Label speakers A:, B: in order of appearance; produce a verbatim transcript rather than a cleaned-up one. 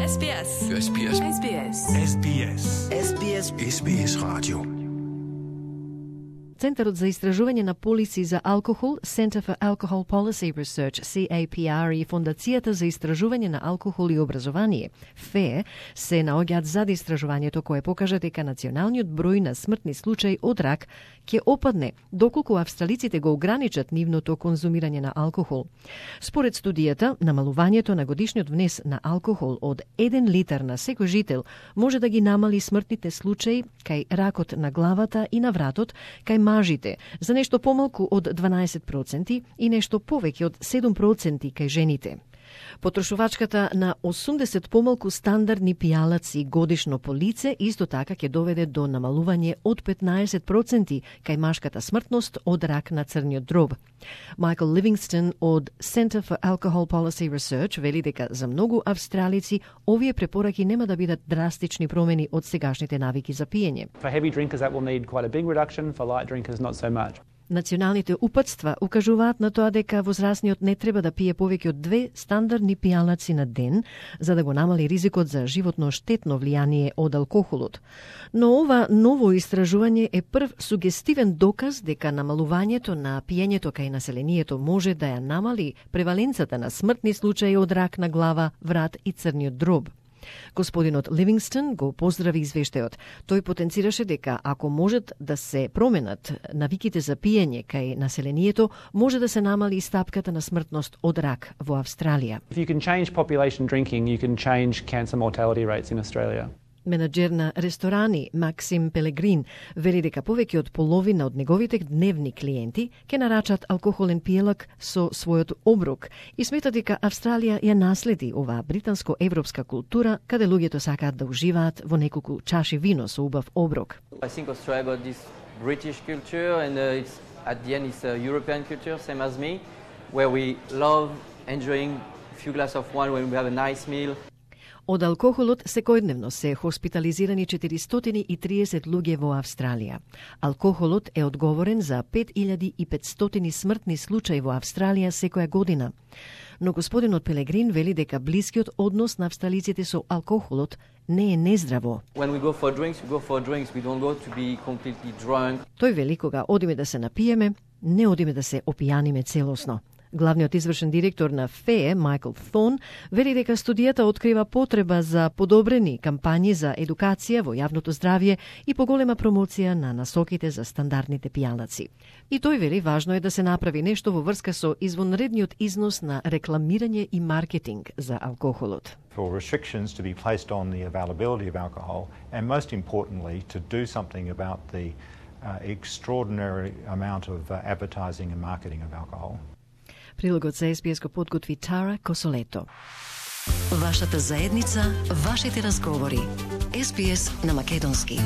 A: S B S.
B: S B S.
A: S B S.
B: S B S.
C: S B S.
B: S B S Radio.
D: Центарот за истражување на полиси за алкохол, Center for Alcohol Policy Research, C A P R, и Фондацијата за истражување на алкохол и образование, F E E, се наоѓаат зад истражувањето кое покажа дека националниот број на смртни случаи од рак ќе опадне доколку австралиците го ограничат нивното конзумирање на алкохол. Според студијата, намалувањето на годишниот внес на алкохол од еден литар на секој жител може да ги намали смртните случаи кај ракот на главата и на вратот, кај мажите за нешто помалку од дванаесет проценти и нешто повеќе од седум проценти кај жените. Потрошувачката на осумдесет помалку стандардни пијалаци годишно по лице исто така ќе доведе до намалување од петнаесет проценти кај машката смртност од рак на црниот дроб. Майкл Ливингстон од Center for Alcohol Policy Research вели дека за многу австралици овие препораки нема да бидат драстични промени од сегашните навики за пиење.
E: For heavy drinkers that will need quite a big reduction, for light drinkers not so much.
D: Националните упатства укажуваат на тоа дека возрастниот не треба да пие повеќе од две стандардни пијалаци на ден за да го намали ризикот за животно штетно влијание од алкохолот. Но ова ново истражување е прв сугестивен доказ дека намалувањето на пиењето кај населението може да ја намали преваленцата на смртни случаи од рак на глава, врат и црниот дроб. Господинот Ливингстон го поздрави извештајот. Тој потенцираше дека ако можат да се променат навиките за пиење кај населението, може да се намали стапката на смртност од рак во Австралија.
E: If you can change population drinking, you can change cancer mortality rates in Australia.
D: Менаџер на ресторани Максим Пелегрин вели дека повеќе од половина од неговите дневни клиенти ќе нарачат алкохолен пиелак со својот оброк и смета дека Австралија ја наследи оваа британско-европска култура каде луѓето сакаат да уживаат во неколку чаши вино со убав оброк.
F: I think Australia got this British culture and uh, it's at the end it's a European culture same as me where we love enjoying a few glasses of wine when we have a nice meal.
D: Од алкохолот секојдневно се хоспитализирани четиристотини и триесет луѓе во Австралија. Алкохолот е одговорен за пет илјади и петстотини смртни случаи во Австралија секоја година. Но господинот Пелегрин вели дека блискиот однос на австралиците со алкохолот не е нездраво.
F: When we go for drinks, we go for drinks. We don't go to be completely drunk.
D: Тој вели кога одиме да се напиеме, не одиме да се опијаниме целосно. Главниот извршен директор на F E E, Майкл Thorne, вели дека студијата открива потреба за подобрени кампањи за едукација во јавното здравје и поголема промоција на насоките за стандардните пијалаци. И тој вели важно е да се направи нешто во врска со извонредниот износ на рекламирање и маркетинг за алкохолот.
G: For restrictions to be placed on the availability of alcohol and most importantly to do something about the uh, extraordinary amount of uh, advertising and marketing of alcohol.
D: Прилогот за С Б С го подготви Тара Косолето.
C: Вашата заедница, вашите разговори. С Б С на македонски.